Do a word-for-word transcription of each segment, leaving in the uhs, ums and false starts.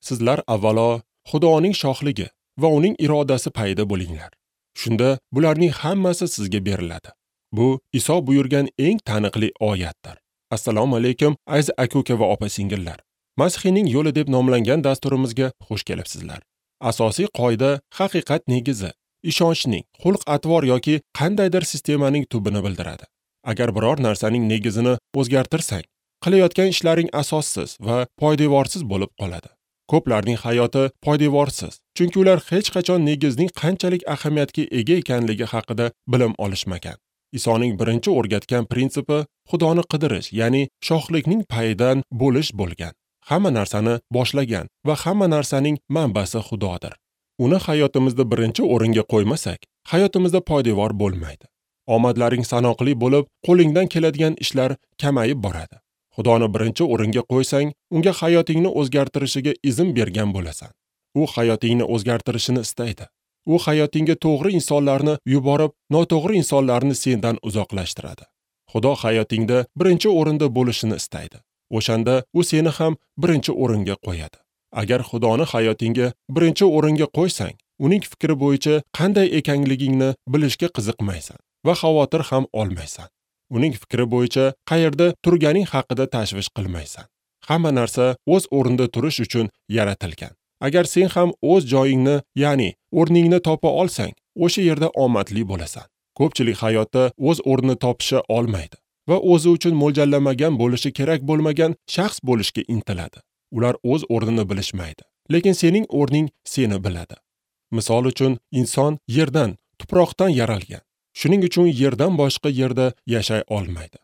Sizlar avvalo Xudoning shohligi va uning irodasi payida bo'linglar. Shunda bularning hammasi sizga beriladi. Bu Iso buyurgan eng taniqli oyatdir. Assalomu alaykum aziz aka-uka va opa-singillar. Masihiyning yo'li deb nomlangan dasturimizga xush kelibsizlar. Asosiy qoida haqiqat negizi, ishonchning, xulq-atvor yoki qandaydir sistemaning tubini bildiradi. Agar biror narsaning negizini o'zgartirsang, qilayotgan ishlaring asossiz va poydevorsiz bo'lib qoladi. Ko'plarning hayoti poydevorsiz, chunki ular hech qachon negizning qanchalik ahamiyatga ega ekanligi haqida bilim olishmagan. Isoning birinchi o'rgatgan prinsipi Xudoni qidirish, ya'ni shohlikning payidan bo'lish bo'lgan. Hamma narsani boshlagan va hamma narsaning manbasi Xudodir. Uni hayotimizda birinchi o'ringa qo'ymasak, hayotimizda poydevor bo'lmaydi. Omadlaring sanoqli bo'lib, qo'lingdan keladigan ishlar kamayib boradi. Xudoni birinchi o'ringa qo'ysang, unga hayotingni o'zgartirishiga izn bergan bo'lasan. U hayotingni o'zgartirishini istaydi. U hayotingga to'g'ri insonlarni yuborib, noto'g'ri insonlarni sendan uzoqlashtiradi. Xudo hayotingda birinchi o'rinda bo'lishini istaydi. O'shanda u seni ham birinchi o'ringa qo'yadi. Agar Xudoni hayotingga birinchi o'ringa qo'ysang, uning fikri bo'yicha qanday ekanligingni bilishga qiziqmaysan va xavotir ham olmaysan. Uning fikri bo'yicha qayerda turganing haqida tashvish qilmaysan. Hamma narsa o'z o'rnida turish uchun yaratilgan. Agar sen ham o'z joyingni, ya'ni o'rningni topa olsang, o'sha yerda omadli bo'lasan. Ko'pchilik hayotda o'z o'rnini topisha olmaydi va o'zi uchun mo'ljallamagan bo'lishi kerak bo'lmagan shaxs bo'lishga intiladi. Ular o'z o'rnini bilishmaydi, lekin sening o'rning seni biladi. Misol uchun, inson yerdan, tuproqdan yaralgan. Shuning uchun yerdan boshqa yerda yashay olmaydi.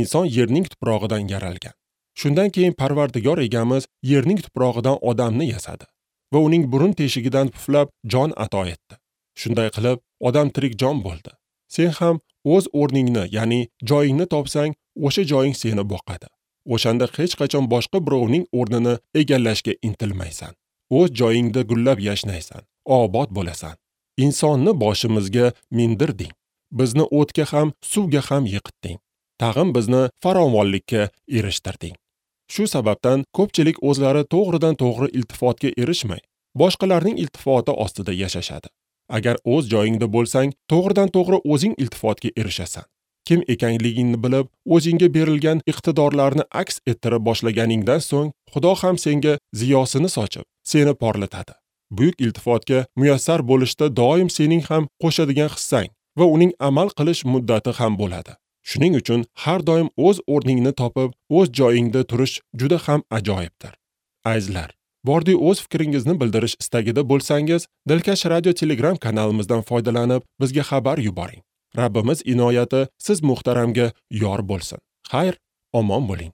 Inson yerning tuprog'idan yaralgan. Shundan keyin Parvardigor egamiz yerning tuprog'idan odamni yasadi va uning burun teshigidan puflab jon ato etdi. Shunday qilib, odam tirik jon bo'ldi. Sen ham o'z o'rningni, ya'ni joyingni topsang, o'sha joying seni boqadi. O'shanda hech qachon boshqa birovning o'rnini egallashga intilmaysan. O'z joyingda gullab yashnaysan, obod bo'lasan. Insonni boshimizga mindirding. Bizni o'tga ham, suvga ham yiqitding. Tag'in bizni farovonlikka erishtirding. Shu sababdan ko'pchilik o'zlari to'g'ridan to'g'ri iltifotga erishmay, boshqalarning iltifoti ostida yashashadi. Agar o'z joyingda bo'lsang, to'g'ridan to'g'ri o'zing iltifotga erishasan. Kim ekanligingni bilib, o'zingga berilgan iqtidorlarni aks ettira boshlaganingdan so'ng, Xudo ham senga ziyosini sochib, seni porlatadi. Buyuk iltifotga muyassar bo'lishda doim sening ham qo'shadigan hissang va uning amal qilish muddati ham bo'ladi. Shuning uchun har doim o'z o'rningni topib, o'z joyingda turish juda ham ajoyibdir. Azizlar, bordi o'z fikringizni bildirish istagida bo'lsangiz, Dilkash Radio Telegram kanalimizdan foydalanib, bizga xabar yuboring. Rabbimiz inoyati siz muhtaramga yor bo'lsin. Xayr, omon bo'ling.